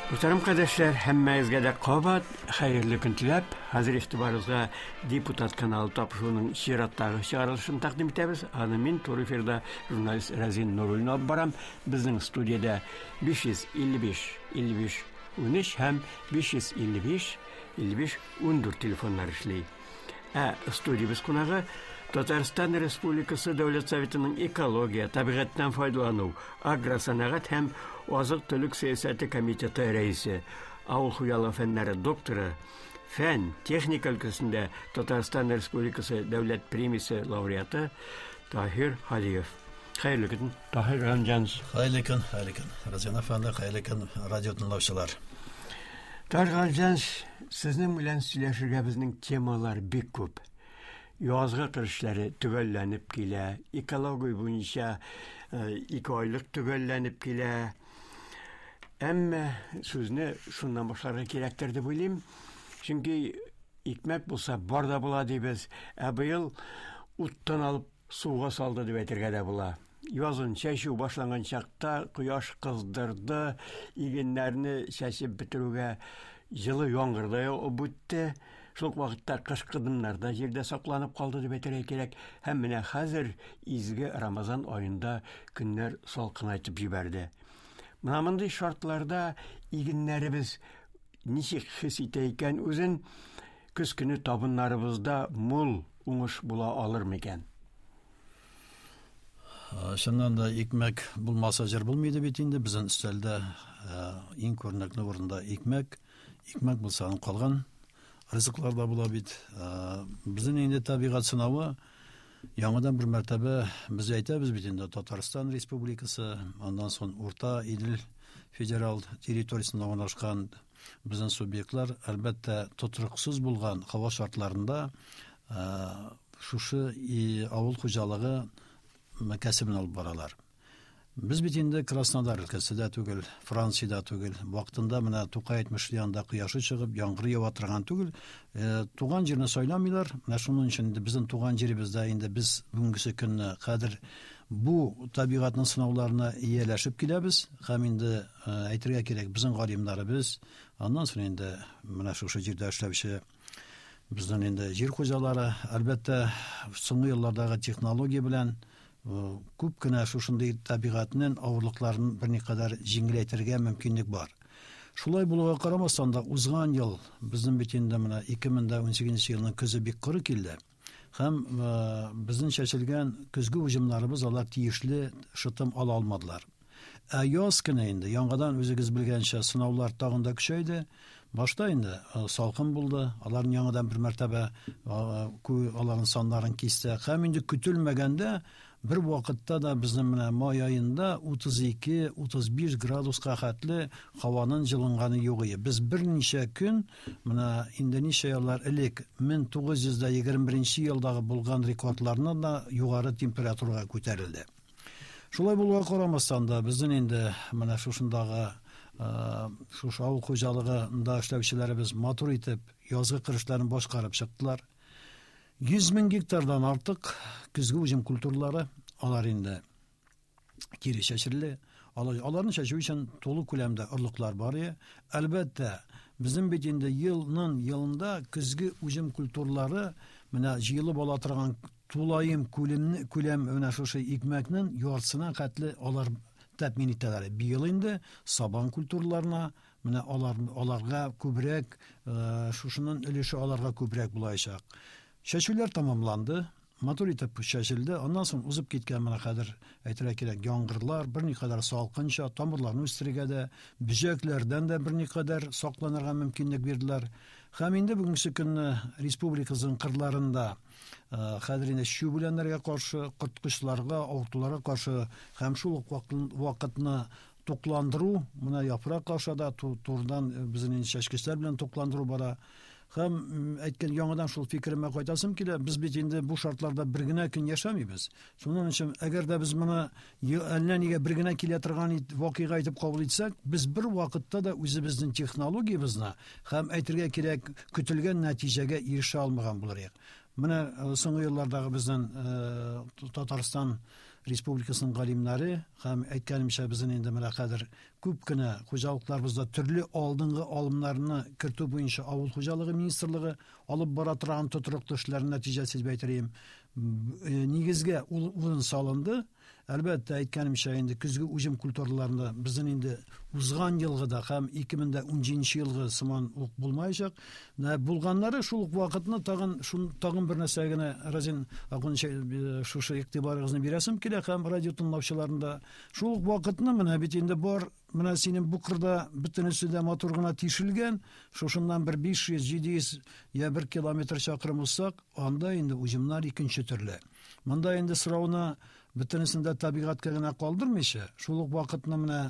Мөхтәрәм кардәшләр, һәммәгезгә дә кабат хәерле көн теләп, хәзер игътибарыгызга Депутат каналы тапшыруының чираттагы чыгарылышын тәкъдим итәбез. Аны мин туры эфирда журналист Разин Нуруллин алып барам. Безнең студиядә 555 55 13 һәм 555 55 14 телефоннар эшли. Ә студиябез кунагы Татарстан Республикасы Дәүләт Советының экология, табигатьтән файдалану, агросәнәгать һәм азык-төлек сәясәте комитеты рәисе, авыл хуҗалыгы фәннәре докторы, фән, техника өлкәсендә Татарстан Республикасы Дәүләт премиясе лауреаты Таһир Һадиев. Хәерле көн, Таһир Галимҗанович. Хәерле көн, хәерле көн. Разиан әфәнде, хәерле көн, радио тыңлаучылар. Таһир Галимҗанович, сезнең белән сөйләшергә безнең темалар бик күп. Язгы кыр эшләре төгәлләнеп килә, экология буенча икеайлык төгәлләнеп килә. Әмма сүзне шуннан башларга кирәктер дип уйлыйм. Чөнки икмәк булса бар да була дибез. Ә быел уттан алып суга салды дип әйтергә дә була. Язын чәчү башланган чакта кояш кыздырды, игеннәрне чәчеп бетерүгә җылы яңгыр да явып үтте. Шул ук вакытта кышкы дымнар да җирдә сакланып калды дип әйтергә кирәк. Һәм менә хәзер изге Рамазан аенда көннәр салкынайтып җибәрде. Менә мондый шартларда игеннәребез ничек хис итә икән үзен? Көз көне табыннарыбызда мул уңыш була алыр микән? Чыннан да икмәк булмаса җыр булмый иде бит инде. Безнең өстәлдә иң күренекле урында икмәк. Икмәк булса, аның калган ризыклар да була бит. Безнең инде табигать сынавы яңадан бер мәртәбә без әйтәбез бит инде Татарстан Республикасы, аннан соң Урта Идел федерал территориясендә урнашкан Безнең субъектлар, әлбәттә, тотрыксыз булган һава шартларында шушы авыл хуҗалыгы кәсебен алып баралар. Без бит инде Краснодар өлкәсе дә түгел, Франция дә түгел. Вакытында менә Тукай әйтмешли анда кояшы чыгып, яңгыр ява торган түгел. Туган җирне сайламыйлар. Менә шуның өчен инде безнең туган җиребездә инде без бүгенгесе көнне хәзер бу табигатьнең сынауларына ияләшеп киләбез һәм инде Әйтергә кирәк, безнең галимнәребез, аннан соң инде менә шушы җирдә эшләүче безнең инде җир хуҗалары, әлбәттә, соңгы еллардагы технология белән күп кенә шушындый табигатьнең авырлыкларын берникадәр җиңеләйтергә мөмкинлек бар. Шулай булуга карамастан да, узган ел безнең бит инде менә 2018 елның көзе бик коры килде. Һәм безнең чәчелгән көзге уҗымнарыбыз алар тиешле шытым ала алмадылар. Ә яз көне инде яңадан үзегез белгәнчә сынаулар тагын да көчәйде. Башта инде салкын булды, аларны яңадан бер мәртәбә аларның саннарын кисте. Һәм инде көтелмәгәндә бер вакытта да безнең менә май аенда 32-35 градуска хәтле һаваның җылынганы юк иде. Без берничә көн менә инде ничә еллар элек 1921 елдагы булган рекордларны да югары температурага күтәрелде. Шулай булуга карамастан да, безнең инде менә шушындагы шушы авыл хуҗалыгында эшләүчеләребез матур итеп язгы кыр эшләрен башкарып чыктылар. 100 мең гектардан артык көзге уҗым культуралары алар инде кире чәчелде. Аларны чәчү өчен тулы күләмдә орлыклар бар иде. Әлбәттә, безнең бит инде елның елында көзге уҗым культуралары менә җыелып ала торган Тулаем күлемне, күләм менә шушы икмәкнең яртысына хәтле алар тәэмин итәләр. Быел инде сабан культураларына менә алар, аларга күбрәк, э, шушының өлеше аларга күбрәк булачак. Чәчүләр тәмамланды, матур итеп чәчелде. Аннан соң узып киткән менә хәзер әйтергә кирәк, яңгырлар берникадәр салкынча, тамырларны үстерергә дә, бөҗәкләрдән дә берникадәр сакланырга мөмкинлек бирделәр. Һәм инде бүгенге көнне республикабызның кырларында Хәзер инде чүп үләннәргә каршы, корткычларга, авыртуларга каршы һәм шул ук вакытны тукландыру, менә яфрак аша да турыдан безнең инде чәчкечләр белән тукландыру бара. Һәм әйткән яңадан шул фикеремә кайтасым килә, без бит инде бу шартларда бер генә көн яшәмибез. Шуның өчен, әгәр дә без моны әллә нигә бер генә килә торган вакыйга итеп кабул итсәк, без бер вакытта да үзебезнең технологиябезне һәм, әйтергә кирәк, көтелгән нәтиҗәгә ирешә алмаган булыр идек. Менә соңгы еллардагы безнең Татарстан Республикасының галимнәре һәм әйткәнемчә безнең инде менә хәзер күп кенә хуҗалыкларыбызда төрле алдынгы алымнарны кертү буенча авыл хуҗалыгы министрлыгы алып бара торган тотрыклы эшләрнең нәтиҗәсе дип әйтер идем. Нигезгә урын салынды. Әлбәттә, әйткәнемчә, инде көзге уҗым культураларында безнең инде узган елгыда һәм 2017 елгы сыман ук булмаячак. Менә булганнары шул ук вакытны тагын шун тагын бер нәрсә генә Разин Акунович э, шушы игътибарыгызны бирәсем килә һәм радио тыңлаучыларны да. Шул ук вакытны менә бит инде бар менә синең бу кырда бөтенесе дә матур гына тишелгән, шушыннан бер 500-700 я 1 километр чакрым узсак, анда инде уҗымнар икенче төрле. Монда инде сорауны бөтенесен дә табигатькә генә калдырмыйча, шул ук вакытны менә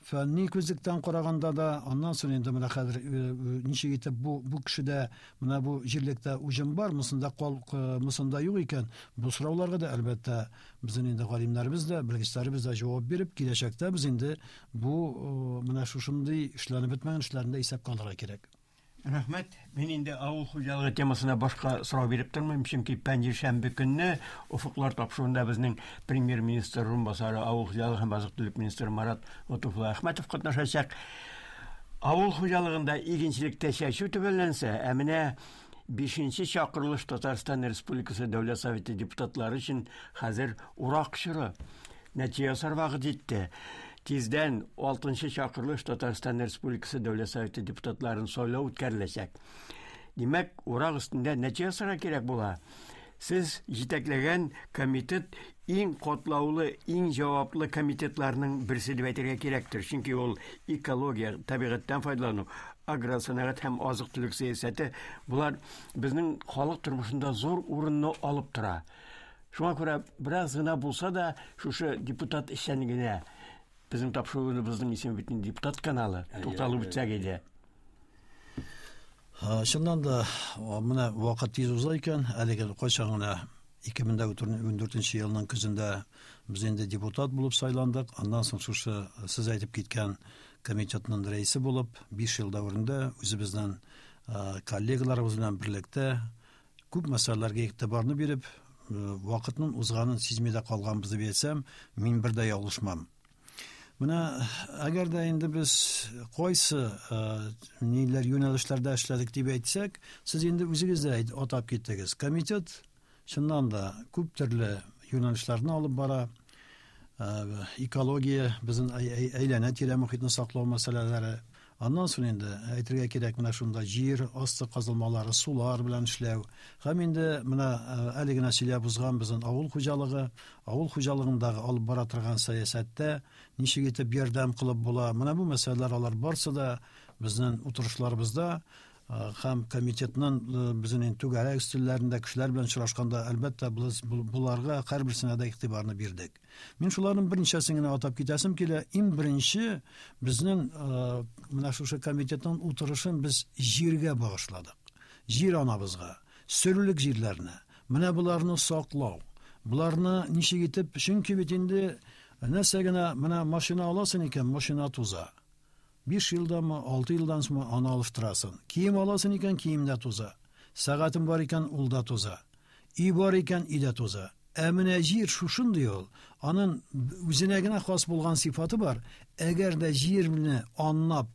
фәнни күзлектән караганда да, аннан соң инде менә хәзер э, э, ничек итеп бу бу кешедә менә бу җирлектә уҗым бар, монсында кал, э, монсында юк икән, бу сорауларга да әлбәттә безнең инде галимнәребез дә, белгечләребез дә җавап биреп, киләчәктә без инде бу менә шушындый эшләнеп бетмәгән эшләрне дә исәпкә алырга кирәк. Рәхмәт. Мин инде авыл хуҗалыгы темасына башка сорау биреп тормыйм, чөнки пәнҗешәмбе көнне Офыклар тапшыруында безнең премьер-министр урынбасары, авыл хуҗалыгы һәм азык-төлек министры Марат Лотуфулла Әхмәтов катнашачак. Авыл хуҗалыгында игенчелектә чәчү төгәлләнсә, ә менә бишенче чакырылыш Татарстан Республикасы Дәүләт Советы депутатлары өчен хәзер урак чоры. Нәтиҗә ясар вакыт җитте. Тиздән 6 чакырылыш Татарстан Республикасы Дәүләт Советы депутатларын сайлау үткәреләчәк. Димәк, урак өстендә нәтиҗә ясарга кирәк була. Сез җитәкләгән комитет иң катлаулы, иң җаваплы комитетларның берсе дип әйтергә кирәктер. Чөнки ул экология, табигатьтән файдалану, агросәнәгать һәм азык-төлек сәясәте болар безнең халык тормышында зур урынны алып тора. Шуңа күрә бераз гына булса да шушы депутат эшчәнлегенә безнең тапшыруыбызның исеме бит инде депутат каналы тукталып үтсәк иде. Чыннан да менә вакыт тиз уза икән, әлеге кайчан гына 2014 елның көзендә без инде депутат булып сайландык. Аннан соң шушы сез әйтеп киткән комитетның рәисе булып, 5 ел дәверендә үзебезнең коллегаларыбыз белән берлектә Күп мәсьәләләргә игътибарны биреп, вакытның узганын сизми дә калганбыз дип әйтсәм, мин бер дә ялгышмам. Менә әгәр дә инде без кайсы ниләр юнәлешләрдә эшләдек дип әйтсәк, сез инде үзегез дә атап киттегез. Комитет чыннан да күп төрле юнәлешләрне алып бара. Экология, безнең әйләнә-тирә мохитне саклау мәсьәләләре, Аннан соң инде, әйтергә кирәк, менә шунда җир асты казылмалары, сулар белән эшләү. Һәм инде менә әле генә сөйләп узган безнең авыл хуҗалыгы, авыл хуҗалыгындагы алып бара торган сәясәттә ничек итеп ярдәм кылып була. Менә бу мәсьәләләр алар барсы да безнең утырышларыбызда һәм комитетның безнең инде түгәрәк өстәлләрендә кешеләр белән очрашканда, әлбәттә, без боларга һәрберсенә дә игътибарны бирдек. Мин шуларның берничәсен генә атап китәсем килә. Иң беренче безнең менә шушы комитетның утырышын без җиргә багышладык. Җир анабызга, сөрүлек җирләренә. Менә боларны саклау. Боларны ничек итеп, чөнки бит инде нәрсә генә менә машина аласың икән, машина туза. 5 елданмы, 6 елдан соңмы аны алыштырасың. Кием аласың икән, кием дә туза. Сәгатең бар икән, ул да туза. Өй бар икән, өй дә туза. Ә менә җир шушындый ул. Анын үзенә генә хас булган сыйфаты бар. Әгәр дә җирне анлап,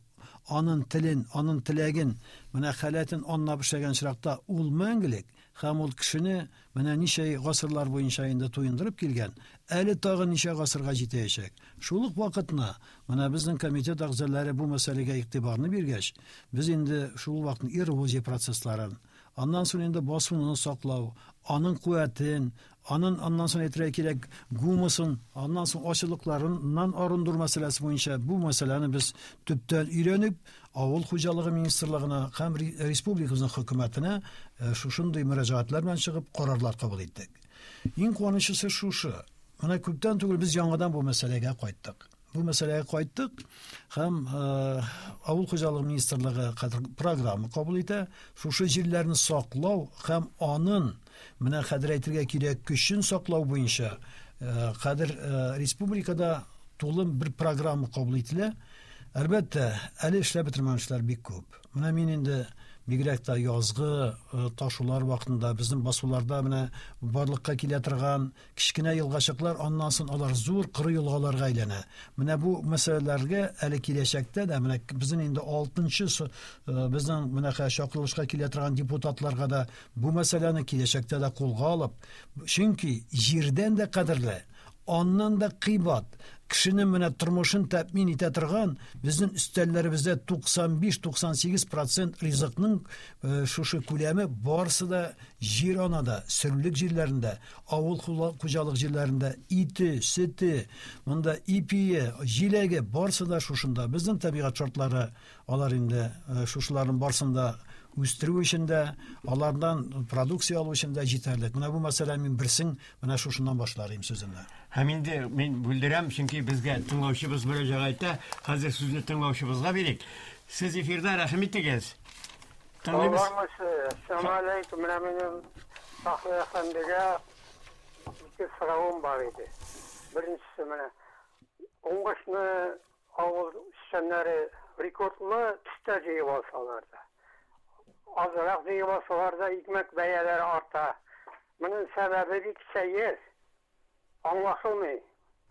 анын телен, анын теләген, менә халәтен анлап эшләгән очракта ул мәңгелек һәм ул кешене менә ничә гасырлар буенча инде туендырып килгән, әле тагын ничә гасырга җитәячәк. Шул ук вакытны менә безнең комитет әгъзалары бу мәсьәләгә игътибарны биргәч, без инде шул вакытны эрозия процессларын, Аннан соң инде басуны саклау, аның куәтен, анын аннан соң әйтергә кирәк гумусын, аннан соң ачылыкларыннан арындыру мәсьәләсе буенча бу мәсьәләне без төптән өйрәнеп, авыл хуҗалыгы министрлыгына һәм республикабызның хөкүмәтенә э, шушындый мөрәҗәгатьләр белән чыгып карарлар кабул иттек. Иң куанычлысы шушы. Менә күптән түгел без яңадан бу мәсьәләгә кайттык. Бу мәсьәләгә кайттык һәм э, авыл хуҗалыгы министрлыгы хәзер программа кабул итә. Шушы җирләрне саклау һәм анын менә хәзер әйтергә кирәк көчен саклау буенча э, хәзер э, республикада тулы бер программа кабул ителә. Әлбәттә, әле эшләп бетермәгән эшләр бик күп. Менә мин инде Бигрәк тә язгы э, ташулар вакытында безнең басуларда менә барлыкка килә торган кечкенә елгачыклар, аннан соң алар зур коры елгаларга әйләнә. Менә бу мәсьәләләргә әле киләчәктә дә менә безнең инде алтынчы э, безнең менә чакырылышка килә торган депутатларга да бу мәсьәләне киләчәктә дә кулга алып, чөнки җирдән дә кадерле, аннан да кыйбат, кешенең менә тормышын тәэмин итә торган безнең өстәлләребездә 95-98 процент ризыкның э, шушы күләме барысы да җир анада, сөрлек җирләрендә, авыл хуҗалык җирләрендә ите, сөте, монда ипие, җиләге барысы да шушында. Безнең табигать шартлары алар инде э, шушыларның барысын да үстерү өчен дә, алардан продукция алу өчен дә җитәрлек. Менә бу мәсьәлә мин берсен менә шушыннан башлар идем сүземне. Һәм инде мин бүлдерәм, чөнки безгә тыңлаучыбыз мөрәҗәгать итә. Хәзер сүзне тыңлаучыбызга бирик. Сез эфирда, рәхим итегез. Тыңлыйбыз. Әссәламу алейкум. Менә минем Фахри әфәндегә ике соравым бар иде. Беренчесе менә уңышны авыл эшчәннәре рекордлы төстә җыеп алсалар да, азрак җыеп алсалар да, икмәк бәяләре арта. Моның сәбәбе бик сәер. Аңлашылмый.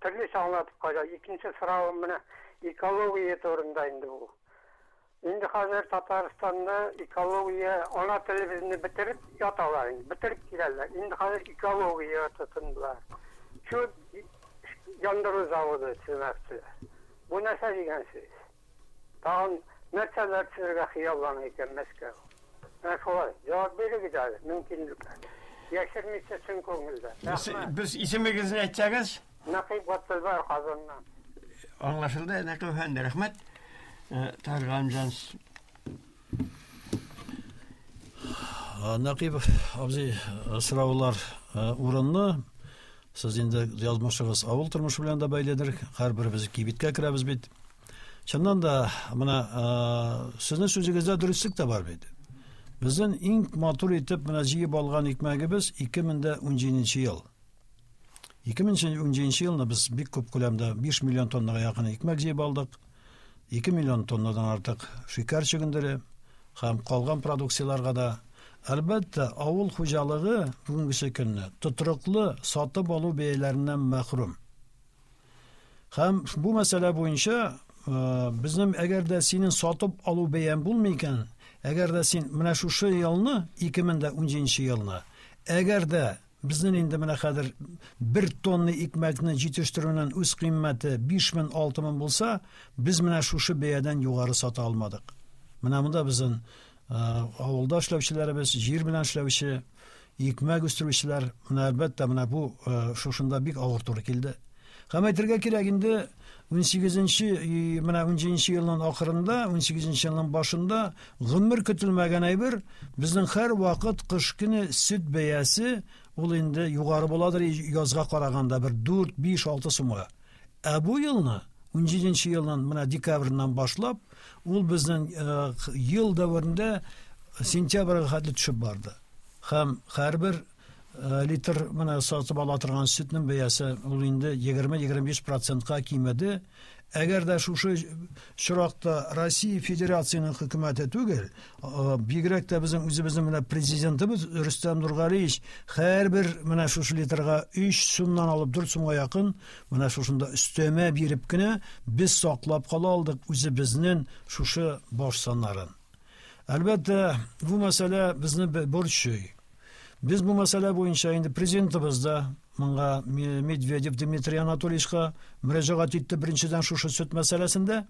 Төрлечә аңлатып кайда. Икенче соравым менә экология турында инде бу. Инде хәзер Татарстанда экология, ана телебезне бетереп яталар инде, бетереп киләләр. Инде хәзер экология тотындылар. Чүп яндыру заводы төземәкчеләр. Бу нәрсә дигән сүз? Тагын нәрсәләр төзергә хыяллана икән Мәскәү? Менә шулай. Җавап бирегез әле, мөмкинлекләр. Яшермичә чын күңелдән. Рәхмәт. Без исемегезне әйтсәгез? Нәкыйп Габделбәр Казаннан. Аңлашылды, Нәкыйп әфәнде, рәхмәт. Э, Таһир Галимҗанович. Э, Нәкыйп абзый, э, сораулар урынлы. Сез инде язмышыгыз авыл тормышы белән дә бәйледер. Һәрберебез кибеткә керәбез бит. Чыннан да, менә сезнең сүзегездә дөреслек тә бар бит. Безнең иң матур итеп менә җыеп алган икмәгебез 2017 ел. 2017 елны без бик күп күләмдә 5 миллион тоннага якын икмәк җыеп алдык. 2 миллион тоннадан артык шикәр чөгендере һәм калган продукцияләргә дә. Әлбәттә, авыл хуҗалыгы бүгенгесе көнне тотрыклы сатып алу бәяләреннән мәхрүм. Һәм бу мәсьәлә буенча э, безнең әгәр дә синең сатып алу бәяң булмый икән, әгәр дә син менә шушы елны, 2017 елны, әгәр дә безнең инде менә хәзер бер тонна икмәкне җитештерүнең үз кыйммәте 5000 6000 булса, без менә шушы бәядән югары сата алмадык. Менә монда безнең э, авылда эшләүчеләребез, җир белән эшләүче, икмәк үстерүчеләр, менә әлбәттә, менә бу э, шушында бик авыр туры килде. Һәм әйтергә кирәк инде 18-нче менә 17 елның ахырында, 18 елның башында гомер көтелмәгән әйбер, безнең һәр вакыт кыш көне сөт бәясе ул инде югары буладыр язга караганда бер 4, 5, 6 сумга. Ә бу елны 17 елның менә декабреннән башлап, ул безнең э, ел дәверендә сентябрьгә хәтле төшеп барды. Һәм һәрбер э, литр менә сатып ала торган сөтнең бәясе ул инде 20-25 процентка кимеде. Әгәр дә шушы чоракта Россия Федерациясенең хөкүмәте түгел, э, бигрәк тә безнең үзебезнең менә президентыбыз Рөстәм Нургалиевич һәрбер менә шушы литрга 3 сумнан алып 4 сумга якын менә шушында өстәмә биреп кенә без саклап кала алдык үзебезнең шушы баш саннарын. Әлбәттә, бу мәсьәлә безне борчый. Без бу мәсьәлә буенча инде президентыбыз да моңа Медведев Дмитрий Анатольевичка мөрәҗәгать итте беренчедән шушы сөт мәсьәләсендә.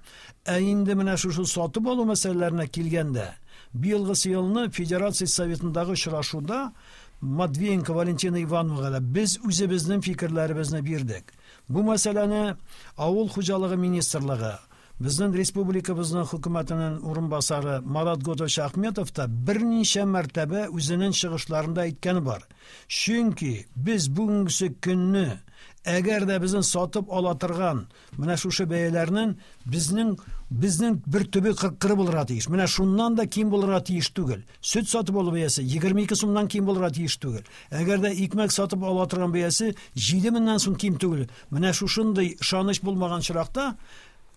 Ә инде менә шушы сатып алу мәсьәләләренә килгәндә, быелгысы елны Федерация Советындагы очрашуда Матвиенко Валентина Ивановнага да без үзебезнең фикерләребезне бирдек. Бу мәсьәләне Авыл хуҗалыгы министрлыгы, Безнең республикабызның хөкүмәтенең урынбасары Марат Готович Ахметов та берничә мәртәбә үзенең чыгышларында әйткәне бар. Чөнки без бүгенгесе көнне, әгәр дә безнең сатып ала торган менә шушы бәяләрнең безнең безнең бер төбе кыры булырга тиеш. Менә шуннан да ким булырга тиеш түгел. Сөт сатып алу бәясе 22 сумнан ким булырга тиеш түгел. Әгәр дә икмәк сатып ала торган бәясе 7 меңнән сум ким түгел. Менә шушындый ышаныч булмаган очракта.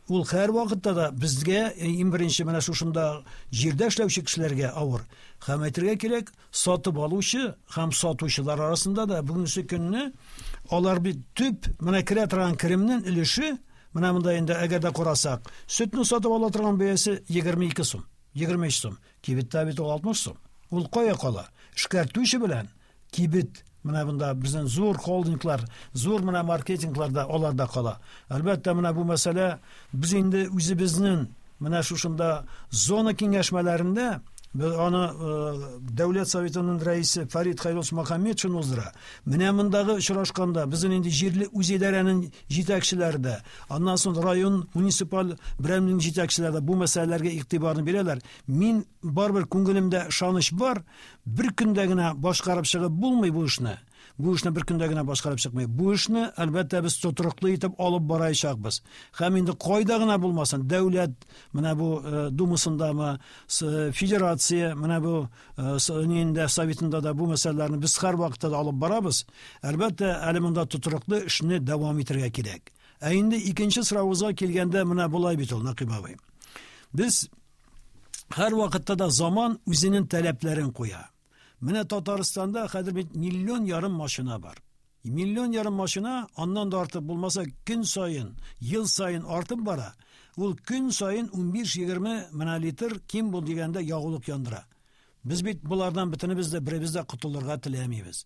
Ул һәрвакытта да безгә иң беренче менә шушында җирдә эшләүче кешеләргә авыр. Һәм әйтергә кирәк, сатып алучы һәм сатучылар арасында да бүгенге көнне алар бит төп менә керә торган керемнең өлеше, менә монда инде әгәр дә карасак, сөтне сатып ала торган бәясе 22 сум, 23 сум. Кибеттә бит ул 60 сум. Ул кая кала? Эшкәртүче белән кибет менә монда безнең зур холдинглар, зур менә маркетингларда аларда кала. Әлбәттә, менә бу мәсьәлә без инде үзебезнең менә шушында зона киңәшмәләрендә без аны Дәүләт Советының рәисе Фәрит Хәйруллович Мөхәммәтшин уздыра. Менә мондагы очрашканда безнең инде җирле үзидарәнең җитәкчеләре дә, аннан соң район муниципаль берәмнең җитәкчеләре дә бу мәсьәләләргә игътибарны бирәләр. Мин барыбер күңелемдә ышаныч бар, бер көндә генә башкарып чыгып булмый бу эшне. Бу эшне бер көндә генә башкарып чыкмый. Бу эшне, әлбәттә, без тотрыклы итеп алып барачакбыз. Һәм инде кайда гына булмасын, дәүләт менә бу думасындамы, федерация, менә бу ниндә советында да бу мәсьәләләрне без һәрвакытта да алып барабыз. Әлбәттә, әле монда тотрыклы эшне дәвам итәргә кирәк. Ә инде икенче соравыбызга килгәндә, менә болай бит ул, Нәкыйп абый. Без һәрвакытта да заман үзенең таләпләрен куя. Менә Татарстанда хәзер бит миллион ярым машина бар. Миллион ярым машина, аннан да артык булмаса, көн саен, ел саен артып бара. Ул көн саен 15-20 менә литр ким бул дигәндә ягулык яндыра. Без бит болардан бөтенебез дә беребез дә котылырга теләмибез.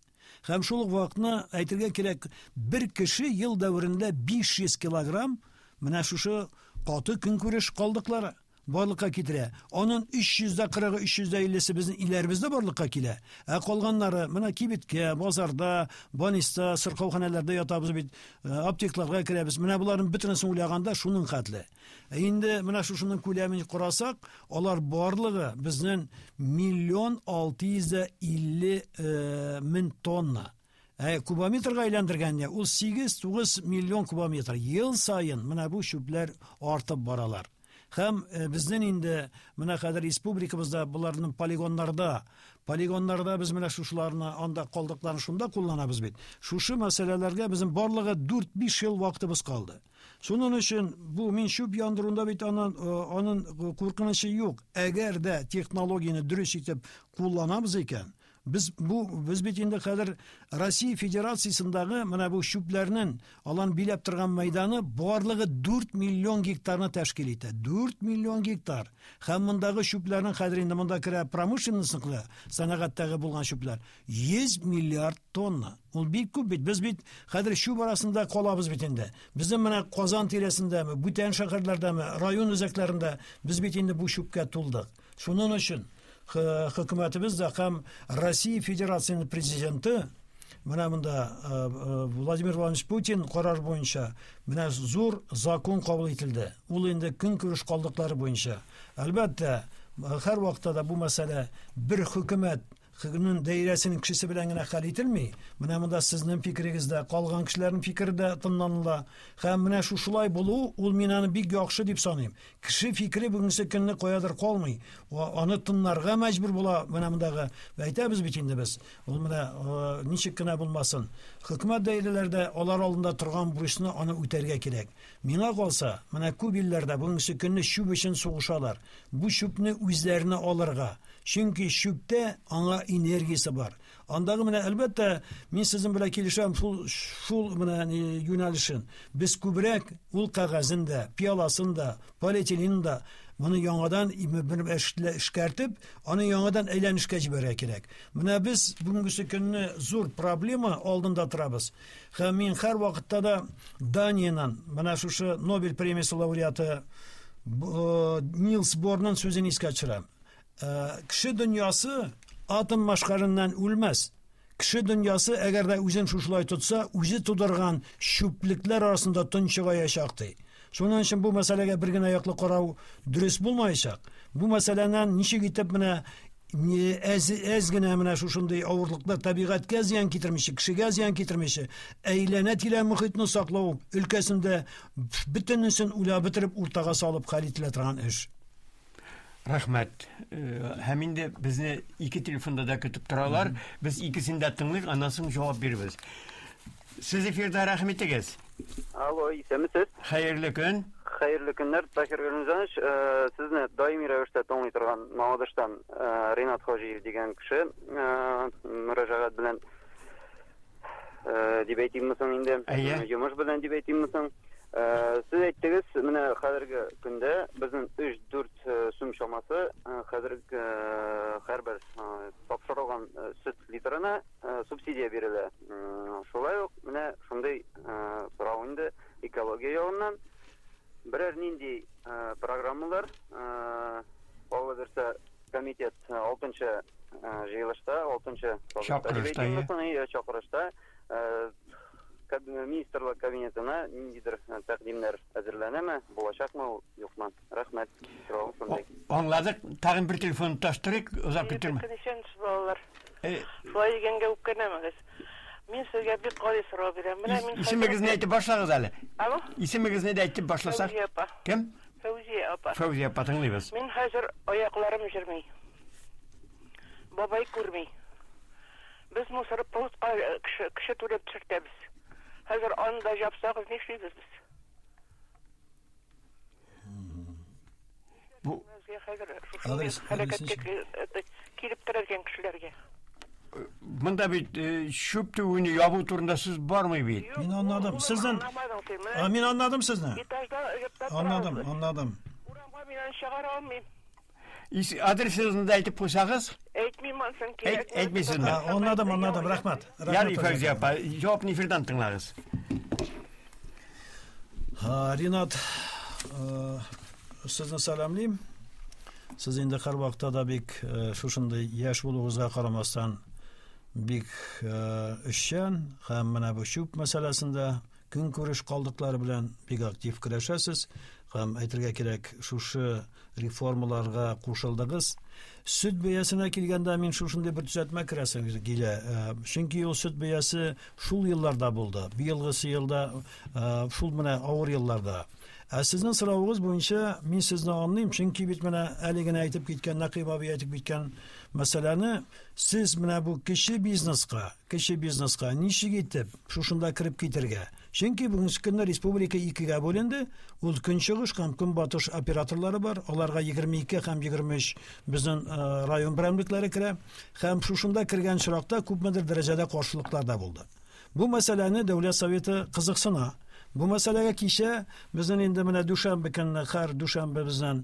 Һәм шул ук вакытны әйтергә кирәк, бер кеше ел дәверендә 500 килограмм менә шушы каты көнкүреш калдыклары барлыкка китерә. Анын 340-ы, 350-се безнең илләребездә барлыкка килә. Ә калганнары менә кибеткә, базарда, больниста, сырхауханәләрдә ятабыз бит, аптекларга керәбез. Менә боларның бөтенесен уйлаганда шуның хәтле. Ә инде менә шушының күләмен карасак, алар барлыгы безнең миллион алты йөз дә илле мең тонна. Ә кубометрга әйләндергәндә ул 8-9 миллион кубометр. Ел саен менә бу чүпләр артып баралар. Һәм безнең инде менә хәзер республикабызда боларның полигоннарда, полигоннарда без менә шушыларны, анда калдыкларны шунда кулланабыз бит. Шушы мәсьәләләргә безнең барлыгы дүрт-биш ел вакытыбыз калды. Шуның өчен бу мин чүп яндыруында бит анын куркынычы юк. Әгәр дә технологияне дөрес итеп кулланабыз икән, без бит инде хәзер Россия Федерациясендәге менә бу чүпләрнең алан биләп торган мәйданы барлыгы 4 миллион гектарны тәшкил итә. 4 миллион гектар. Һәм мондагы чүпләрнең хәзер инде монда керә промышленностьныкы, сәнәгатьтәге булган чүпләр 100 миллиард тонна. Ул бик күп бит. Без бит хәзер чүп арасында калабыз бит инде. Безнең менә Казан тирәсендәме, бүтән шәһәрләрдәме, район үзәкләрендә без бит инде бу чүпкә тулдык. Шуның өчен хөкүмәтебез дә һәм Россия Федерациясенең президенты менә монда Владимир Владимирович Путин карар буенча менә зур закон кабул ителде. Ул инде көнкүреш калдыклары буенча. Әлбәттә, һәр вакытта да бу мәсьәлә бер хөкүмәт хөкүмәтнең даирәсенең кешесе белән генә хәл ителми. Менә монда сезнең фикерегез дә, калган кешеләрнең фикере дә тыңланыла. Һәм менә шушылай булу, ул мин аны бик яхшы дип саныйм. Кеше фикере бүгенге көнне каядыр калмый. Аны тыңларга мәҗбүр була. Менә мондагы әйтәбез бит инде без. Ул менә ничек кенә булмасын. Хөкүмәт даирәләрдә алар алдында торган бурычны аны үтәргә кирәк. Миңа калса, менә күп илләрдә бүгенге көнне чүп өчен сугышалар. Бу чүпне үзләренә алырга. Чөнки чүптә аңа энергиясе бар. Андагы менә әлбәттә мин сезнең белән килешәм шул менә юнәлешен. Без күбрәк ул кәгазен дә, пиаласын да, полиэтиленын да моны яңадан бер эшкәртеп, аны яңадан әйләнешкә җибәрергә кирәк. Менә без бүгенге көнне зур проблема алдында торабыз. Һәм мин һәр вакытта да Даниянан, менә шушы Нобель премиясе лауреаты Нилс Борның сүзен искә төшерәм. Кеше дөньясы атом машкарыннан үлмәс. Кеше дөньясы, әгәр дә үзен шушылай тотса, үзе тудырган чүплекләр арасында тончыгаячак ди. Шуның өчен бу мәсьәләгә бер генә яклы карау дөрес булмаячак. Бу мәсьәләнән ничек итеп менә әз генә менә шушындый авырлыклар табигатькә зыян китермичә, кешегә зыян китермичә, әйләнә-тирә мохитне саклау өлкәсендә бөтенесен уйлап бетереп уртага салып хәл ителә торган эш. Рәхмәт. Һәм инде безне ике телефонда да көтеп торалар. Без икесен дә тыңлыйк, аннан соң җавап бирербез. Сез эфирда, рәхим итегез. Алло, исәнмесез? Хәерле көн. Хәерле көннәр, Таһир Галимҗанович. Сезне даими рәвештә тыңлый торган Мамадыштан Ринат Хаҗиев дигән кеше мөрәҗәгать белән дип әйтимме соң инде? Йомыш белән дип әйтимме соң? Сез әйттегез, менә хәзерге көндә безнең 3-4 сум чамасы хәзер һәрбер тапшырылган сөт литрына субсидия бирелә. Шулай ук менә шундый сорау инде экология ягыннан берәр нинди программалар Алла бирсә комитет 6 җыелышта, 6 чакырышта, чакырышта министрлар кабинетына ниндидер тәкъдимнәр әзерләнәме, булачакмы ул, юкмы? Рәхмәт. Соравым шундый. Аңладык. Тагын бер телефон таштырыйк, озак көттермә. Исәнмесез, балалар. Шулай дигәнгә үпкәләмәгез. Мин сезгә бик гади сорау бирәм. Менә мин Исемегезне әйтеп башлагыз әле. Алло? Исемегезне дә әйтеп башласак. Фәүзия апа. Кем? Фәүзия апа. Фәүзия апа, тыңлыйбыз. Мин хәзер аякларым җөрми. Бабай күрми. Без мусор пунктка кеше, кеше түләп төшертәбез. Хәзер аны да җапсагыз, нишлибез без? Бу Адрес хәрәкәткә килеп терәлгән кешеләргә. Монда бит чүп түгүне ябу турында сүз бармый бит. Мин аңладым. Сездән Мин аңладым сезне. Аңладым, аңладым. Урамга мин аны чыгара алмыйм. Адресыгызны да әйтеп куйсагыз. Әйтмим анысын кирәк. Әйтмисезме? Аңладым, аңладым. Рәхмәт. Ярый, Фәүзия апа, җавапны эфирдан тыңлагыз. Ринат, сезне сәламлим. Сез инде һәрвакытта да бик шушындый яшь булуыгызга карамастан бик эшчән һәм менә бу чүп мәсьәләсендә көнкүреш калдыклары белән бик актив көрәшәсез һәм әйтергә кирәк, шушы реформаларга кушылдыгыз. Сөт бәясенә килгәндә мин шушындый бер төзәтмә керәсем килә. Чөнки ул сөт бәясе шул елларда булды. Быелгысы елда шул менә авыр елларда. Ә сезнең соравыгыз буенча мин сезне аңлыйм, чөнки бит менә әле генә әйтеп киткән Нәкыйп абый әйтеп киткән мәсьәләне сез менә бу кече бизнеска, кече бизнеска ничек итеп шушында кереп китергә? Чөнки бүгенге көндә республика икегә бүленде. Ул көнчыгыш һәм көнбатыш операторлары бар. Аларга 22 һәм 23 безнең район берәмлекләре керә. Һәм шушында кергән очракта күпмедер дәрәҗәдә каршылыклар да булды. Бу мәсьәләне Дәүләт Советы кызыксына. Бу мәсьәләгә кичә безнең инде менә дүшәмбе көнне, һәр дүшәмбе безнең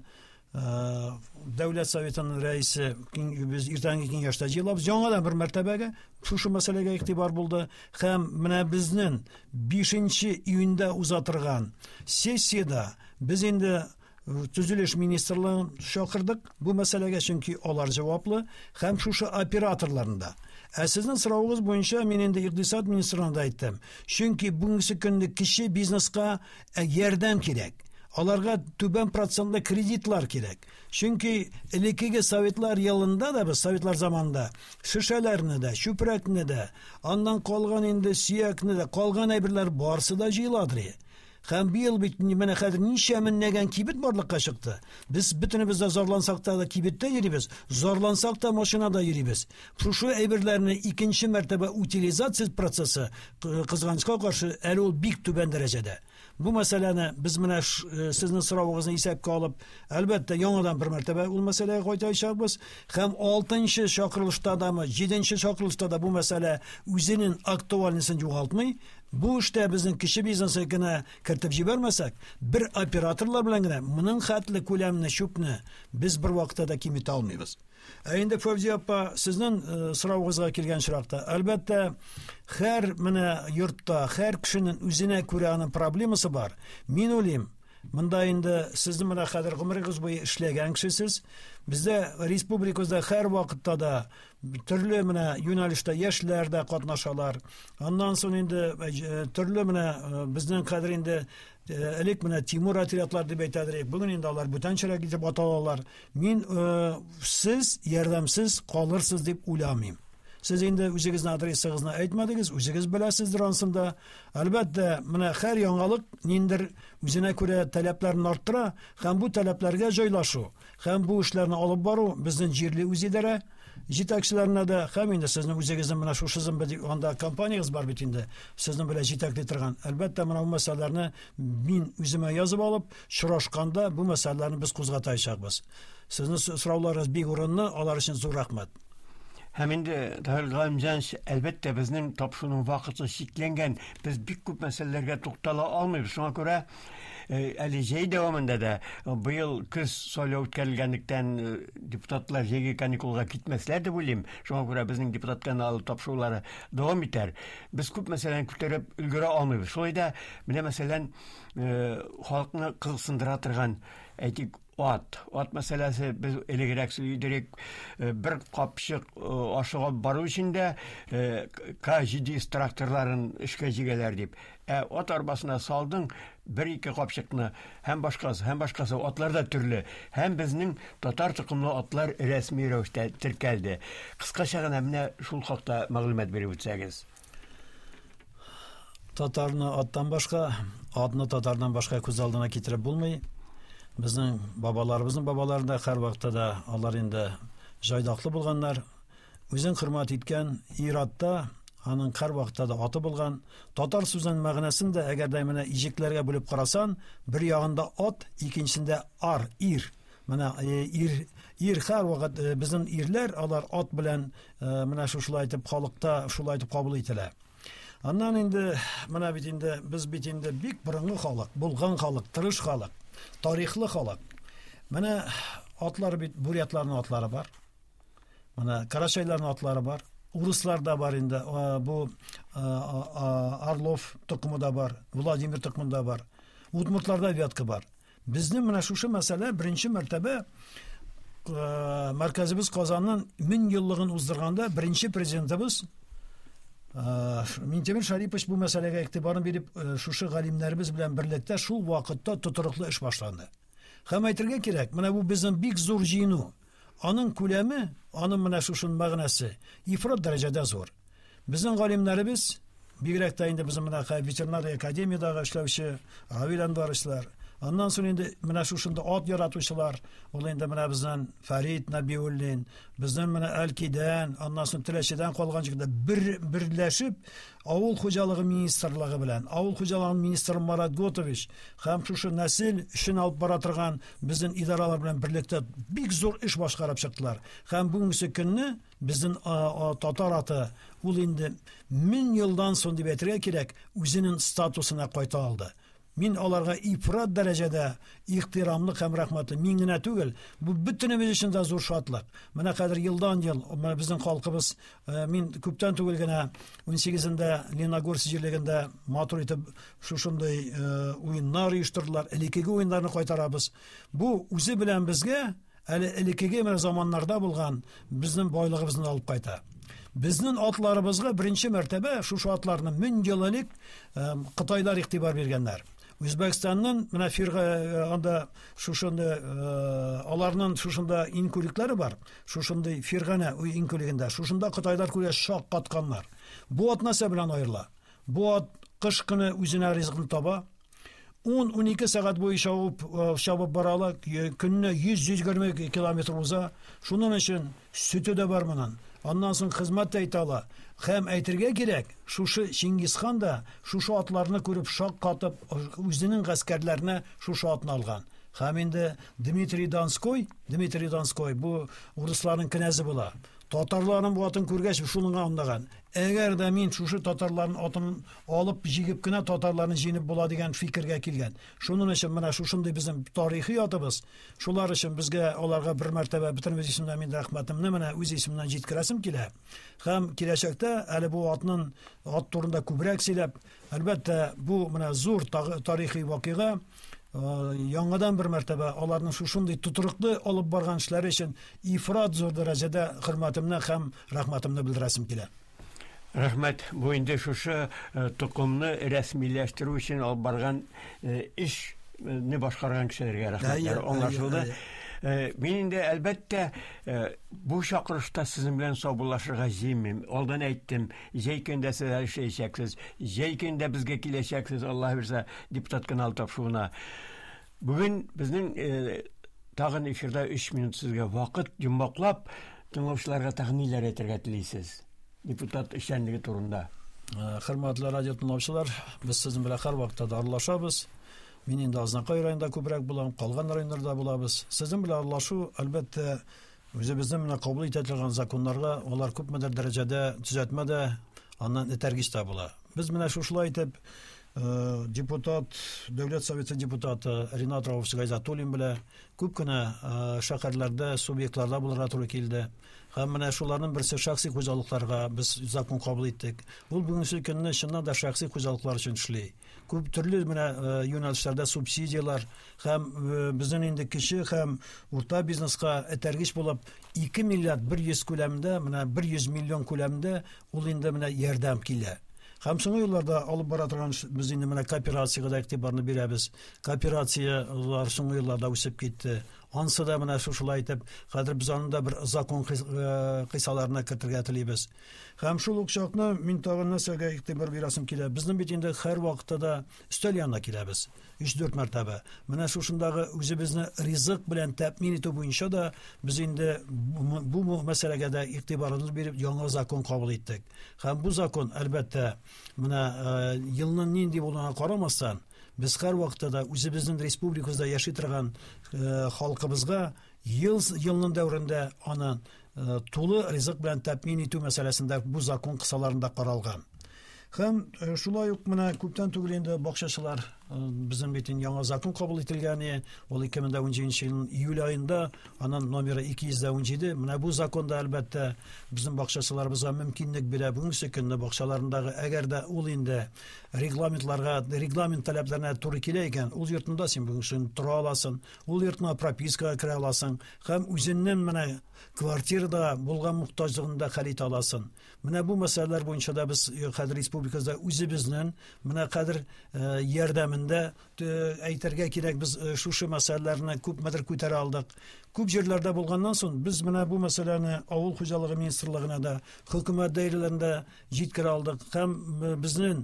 Дәүләт Советының рәисе без иртәнге киңәштә җыелабыз. Яңадан бер мәртәбәгә шушы мәсьәләгә игътибар булды һәм менә безнең 5 июньдә уза торган сессиядә без инде Төзелеш министрлыгын чакырдык бу мәсьәләгә, чөнки алар җаваплы һәм шушы операторларны да. Ә сезнең соравыгыз буенча мин инде икътисад министрына да әйттем. Чөнки бүгенге көндә кече бизнеска ярдәм кирәк. Аларга түбән процентлы кредитлар кирәк. Чөнки элеккеге советлар елында да без советлар заманында шешәләрне дә, чүпрәкне дә, аннан калган инде сөякне дә, калган әйберләр барсы да җыеладыр. Һәм быел бит менә хәзер ничә меңләгән кибет барлыкка чыкты. Без бөтенебез дә зарлансак та кибеттә йөрибез, зарлансак та машинада йөрибез. Шушы әйберләрне икенче мәртәбә утилизация процессы, кызганычка каршы, әле ул бик түбән дәрәҗәдә. Бу мәсьәләне без менә сезнең соравыгызны исәпкә алып, әлбәттә, яңадан бер мәртәбә ул мәсьәләгә кайтачакбыз. Һәм 6 чакырылышта дамы, 7 чакырылышта да бу мәсьәлә үзенең актуальностен югалтмый. Бу эштә безнең кече бизнесны генә кертеп җибәрмәсәк, бер операторлар белән генә моның хәтле күләмне чүпне без бер вакытта да киметә алмыйбыз. Ә инде Фәүзия апа, сезнең соравыгызга килгән очракта, әлбәттә, һәр менә йортта, һәр кешенең үзенә күрә аның проблемасы бар. Мин уйлыйм, монда инде сезнең менә хәзер гомерегез буе эшләгән кешесез. Бездә республикабызда һәр вакытта да төрле менә юнәлештә яшьләр дә катнашалар. Аннан соң инде төрле менә безнең хәзер инде элек менә Тимур отрядлар дип әйтәдер, бүген инде алар бүтәнчәрәк итеп аталалар. Мин сез ярдәмсез калырсыз дип уйламыйм. Сез инде үзегезнең адресыгызны әйтмәдегез, үзегез беләсездер ансын да. Әлбәттә, менә һәр яңалык ниндер үзенә күрә таләпләрен арттыра һәм бу таләпләргә җайлашу һәм бу эшләрне алып бару безнең җирле үзидарә. җитәкчеләренә дә һәм инде сезнең үзегезнең менә шушы анда компаниягез бар бит инде, сезнең белән җитәкли торган. Әлбәттә, менә бу мәсьәләләрне мин үземә язып алып, очрашканда бу мәсьәләләрне без кузгатачакбыз. Сезнең сорауларыгыз бик урынлы, алар өчен зур рәхмәт. Һәм инде Таһир Галимҗанович, әлбәттә, безнең тапшыруның вакыты чикләнгән. Без бик күп мәсьәләләргә туктала алмыйбыз. Шуңа күрә э, әле җәй дәвамында да э, быел көз сайлау үткәрелгәнлектән э, депутатлар җәйге каникулга китмәсләр дип уйлыйм. Шуңа күрә безнең депутат каналы тапшырулары дәвам итәр. Без күп мәсьәләне күтәреп өлгерә алмыйбыз. Шулай да менә мәсәлән, халыкны кызыксындыра торган, әйтик, Ат. Ат мәсьәләсе без элегрәк сөйлидерек. Э, бер капчык э, ашыгып бару өчен дә э, К700 тракторларын эшкә җигәләр дип. Ә ат арбасына салдың бер-ике капчыкны һәм башкасы, һәм башкасы. Атлар да төрле. Һәм безнең татар токымлы атлар рәсми рәвештә теркәлде. Кыскача гына менә шул хакта мәгълүмат биреп үтсәгез. Татарны аттан башка, атны татардан башка күз алдына китереп булмый. Безнең бабаларыбызның бабалары да һәрвакытта да алар инде җайдаклы булганнар. Үзен хөрмәт иткән ир-атта аның һәрвакытта да аты булган. Татар сүзенең мәгънәсен дә әгәр дә менә иҗекләргә бүлеп карасан, бер ягында ат, икенчесендә ар, ир. Менә э, ир ир һәрвакыт э, безнең ирләр алар ат белән э, менә шушылай итеп халыкта шулай итеп кабул ителә. Аннан инде менә бит инде без бит инде бик борынгы халык, булган халык, тырыш халык, тарихлы халык. Менә атлар бит бурятларның атлары бар. Менә карачайларның атлары бар. Урысларда бар инде бу Орлов токымы да бар, Владимир токымы да бар. Удмуртларда вятка бар. Безнең менә шушы мәсьәлә беренче мәртәбә э, мәркәзебез Казанның 1000 еллыгын уздырганда беренче президентыбыз э, Минтимер Шарипович бу мәсьәләгә игътибарын биреп, э, шушы галимнәребез белән берлектә шул вакытта тотрыклы эш башланды. Һәм әйтергә кирәк, менә бу безнең бик зур җыену. Аның күләме, аның менә шушының мәгънәсе ифрат дәрәҗәдә зур. Безнең галимнәребез, бигрәк тә инде безнең менә ветеринария академиядәге эшләүче Равил Әнваровичлар, аннан соң инде менә шушында ат яратучылар, ул инде менә безнең Фәрит Нәбиуллин, безнең менә Әлкидән, аннан соң Теләчедән калган җирдә бер берләшеп, авыл хуҗалыгы министрлыгы белән, авыл хуҗалыгы министры Марат Готович һәм шушы нәсел эшен алып бара торган безнең идаралар белән берлектә бик зур эш башкарып чыктылар. Һәм бүгенге көнне Безнең татар аты ул инде 1000 елдан соң дип әйтергә кирәк, үзенең статусына кайта алды. Мин аларга ифрат дәрәҗәдә ихтирамлы һәм рәхмәтле. Мин генә түгел, бу бөтенебез өчен дә зур шатлык. Менә хәзер елдан-ел менә безнең халкыбыз, э, мин күптән түгел генә 18-ндә Леногорск җирлегендә матур итеп шушындый э, уеннар оештырдылар. Элеккеге уеннарны кайтарабыз. Бу үзе белән безгә Әле элеккеге менә заманнарда булган безнең байлыгыбызны алып кайта. Безнең атларыбызга беренче мәртәбә шушы атларны 1000 ел элек э, кытайлар игътибар биргәннәр. Үзбәкстанның менә фирга э, анда шушында э, аларның шушында инкүлекләре бар. Шушындый Фирганә инкүлегендә шушында кытайлар күрә шак катканнар. Бу ат нәрсә белән аерыла? Бу ат кыш көне үзенә ризыкны таба, 10-12 сәгать буе чабып, э, чабып бара ала, көненә 100-120 километр уза. Шуның өчен сөте дә бар моның. Аннан соң хезмәт тә итә ала. Һәм әйтергә кирәк, шушы Чингисхан да шушы атларны күреп шаккатып, үзенең гаскәрләренә шушы атны алган. Һәм инде Дмитрий Донской, Дмитрий Донской бу урысларның кенәзе була. Татарларның бу атын күргәч, шуны аңлаган. Әгәр дә мин шушы татарларның атын алып җигеп кенә татарларны җиңеп була дигән фикергә килгән. Шуның өчен менә шушындый безнең тарихи атыбыз. Шулар өчен безгә аларга бер мәртәбә бөтенебез исеменнән мин рәхмәтемне менә үз исемемнән җиткерәсем килә. Һәм киләчәктә әле бу атның ат турында күбрәк сөйләп, әлбәттә, бу менә зур тарихи вакыйга яңадан бер мәртәбә аларның шушындый тотрыклы алып барган эшләре өчен ифрат зур дәрәҗәдә хөрмәтемне һәм рәхмәтемне белдерәсем килә. Рәхмәт. Бу инде шушы э, токымны рәсмиләштерү өчен алып барган э, эшне башкарган кешеләргә рәхмәтләр аңлашылды. Э, мин инде әлбәттә бу чакырышта сезнең белән саубуллашырга җыенмыйм. Алдан әйттем, җәй көндә сез әле эшләячәксез, җәй көндә безгә киләчәксез, Аллаһ бирсә, депутат каналы тапшыруына. Бүген безнең тагын эфирда 3 минут сезгә вакыт йомгаклап. Тыңлаучыларга тагын ниләр әйтергә телисез? Депутат эшчәнлеге турында. Хөрмәтле радио тыңлаучылар, без сезнең белән һәрвакытта да аралашабыз. Мин инде Азнакай районында күбрәк булам, калган районнарда булабыз. Сезнең белән аралашу, әлбәттә, үзебезнең менә кабул итә торган законнарга алар күпмедер дәрәҗәдә төзәтмә дә, аннан этәргеч тә була. Без менә шушылай итеп депутат, Дәүләт Советы депутаты Ринат Рауфович Гайзатуллин белән күп кенә шәһәрләрдә, субъектларда булырга туры килде. Һәм менә шуларның берсе шәхси хуҗалыкларга без закон кабул иттек. Ул бүгенге көнне чыннан да шәхси хуҗалыклар өчен эшли. Күп төрле менә юнәлешләрдә субсидияләр һәм безнең инде кече һәм урта бизнеска этәргеч булып 2 миллиард 100 күләмендә, менә 100 миллион күләмендә ул инде менә ярдәм килә. Һәм соңгы елларда алып бара торган без инде менә кооперациягә дә игътибарны бирәбез. Кооперацияләр соңгы елларда үсеп китте. Ансы да менә шушылай итеп, хәзер без аны да бер закон кыйсаларына кертергә телибез. Һәм шул ук чакны мин тагын нәрсәгә игътибар бирәсем килә. Безнең бит инде һәр вакытта да өстәл янына киләбез. 3-4 мәртәбә. Менә шушындагы үзебезне ризык белән тәэмин итү буенча да без инде бу мәсьәләгә дә игътибарыбызны биреп яңа закон кабул иттек. Һәм бу закон, әлбәттә, менә елның нинди булуына карамастан, без һәрвакытта да үзебезнең республикабызда яши торган халкыбызга ел елның дәверендә аны тулы ризык белән тәэмин итү мәсьәләсендә бу закон кысаларында каралган. Һәм шулай ук менә күптән түгел инде бакчачылар безнең бит инде яңа закон кабул ителгән, ул 2017 елның июль аенда, аның номеры 217. Менә бу закон да әлбәттә безнең бакчачыларыбызга мөмкинлек бирә. Бүгенге көнне бакчаларындагы әгәр дә ул инде регламентларга, регламент таләпләренә туры килә икән, ул йортында син бүгенге көн тора аласың, ул йортына пропискага керә аласың һәм үзеннән менә квартирада булган мохтаҗлыгын да хәл итә аласың. Менә бу мәсьәләләр буенча да без хәзер республикабызда үзебезнең менә хәзер ярдәмендә әйтергә кирәк, без шушы мәсьәләләрне күпмедер күтәрә алдык. Күп җирләрдә булганнан соң без менә бу мәсьәләне авыл хуҗалыгы министрлыгына да, хөкүмәт даирәләрендә җиткерә алдык һәм безнең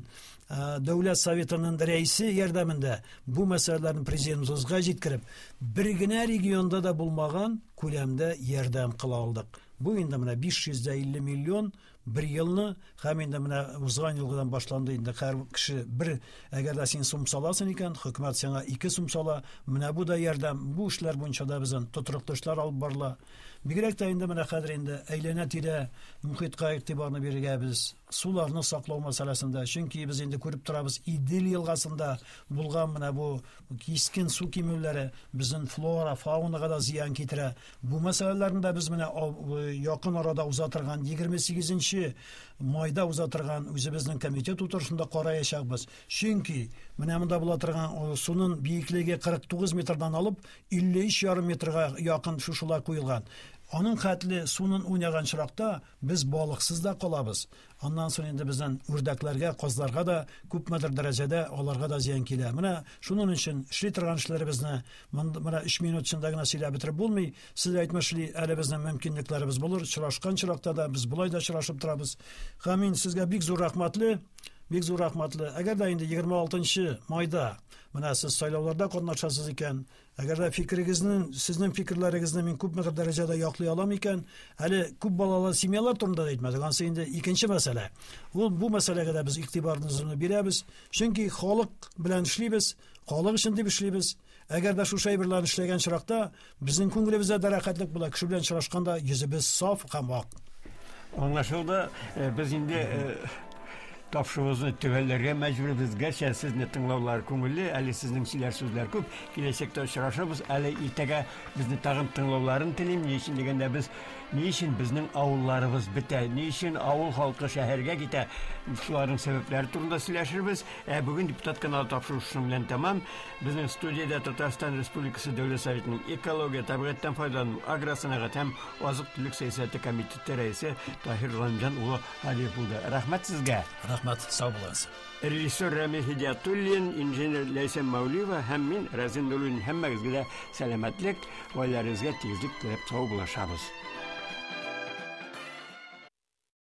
Дәүләт Советының рәисе ярдәмендә бу мәсьәләләрне президентыбызга җиткереп, бер генә регионда да булмаган күләмдә ярдәм кыла алдык. Бу инде менә 550 миллион бер елны һәм инде менә узган елгыдан башланды инде һәр кеше бер, әгәр дә син сум саласың икән, хөкүмәт сиңа 2 сум сала. Менә бу да ярдәм. Бу эшләр буенча да безнең тотрыклы эшләр алып барыла. Бигрәк тә инде менә хәзер инде әйләнә-тирә мөхиткә игътибарны бирергә без суларны саклау мәсьәләсендә, чөнки без инде күреп торабыз, Идел елгасында булган менә бу кискен су кимүләре безнең флора, фаунага да зыян китерә. Бу мәсьәләләрне дә без менә якын арада уза торган 28 майда уза торган үзебезнең комитет утырышында караячакбыз. Чөнки менә монда була торган суның биеклеге 49 метрдан алып 53,5 метрга якын шушылай куелган. Аның хәтле суның уйнаган чиракта без балыксыз да калабыз. Аннан соң инде безнең үрдәкләргә, казларга да күпмедер дәрәҗәдә аларга да зыян килә. Менә шуның өчен эшли торган эшләребезне менә 3 минут эчендә генә сөйләп бетереп булмый. Сез әйтмешли, әле безнең мөмкинлекләребез булыр. Очрашкан чиракта да без болай да очрашып торабыз. Һәм мин сезгә бик зур рәхмәтле, бик зур рәхмәтле. Әгәр дә инде 26 майда менә сез сайлауларда катнашасыз икән, әгәр дә фикерегезне, сезнең фикерләрегезне мин күпмедер дәрәҗәдә яклый алам икән, әле күп балалы семьялар турында да әйтмәдек, ансы инде икенче мәсьәлә. Ул бу мәсьәләгә дә без игътибарыбызны бирәбез, чөнки халык белән эшлибез, халык өчен дип эшлибез. Әгәр дә шушы әйберләрне эшләгән чиракта безнең күңелебездә дә рәхәтлек була, кеше белән очрашканда йөзебез саф һәм ак. Аңлашылды, без инде тапшыруыбызны төгәлләргә мәҗбүрбез. Гәрчә сезне тыңлаулар күңелле, әле сезнең сөйләр сүзләр күп. Киләчәктә очрашырбыз. Әле иртәгә безне тагын тыңлауларын телим. Ни өчен дигәндә, без ни өчен безнең авылларыбыз бетә, ни өчен авыл халкы шәһәргә китә, шуларның сәбәпләре турында сөйләшербез. Ә бүген депутат каналы тапшыру шуның белән тәмам. Безнең студиядә Татарстан Республикасы Дәүләт Советының экология, табигатьтән файдалану, агросәнәгать һәм азык-төлек сәясәте комитеты рәисе Таһир Галимҗан улы Һадиев булды. Рәхмәт сезгә. Рәхмәт, сау булыгыз. Режиссер Рамил Һидиятуллин, инженер Ләйсән Мәүлиева һәм мин, Разин Нуруллин, һәммәгезгә дә сәламәтлек, гаиләләрегезгә тигезлек теләп сау булашабыз.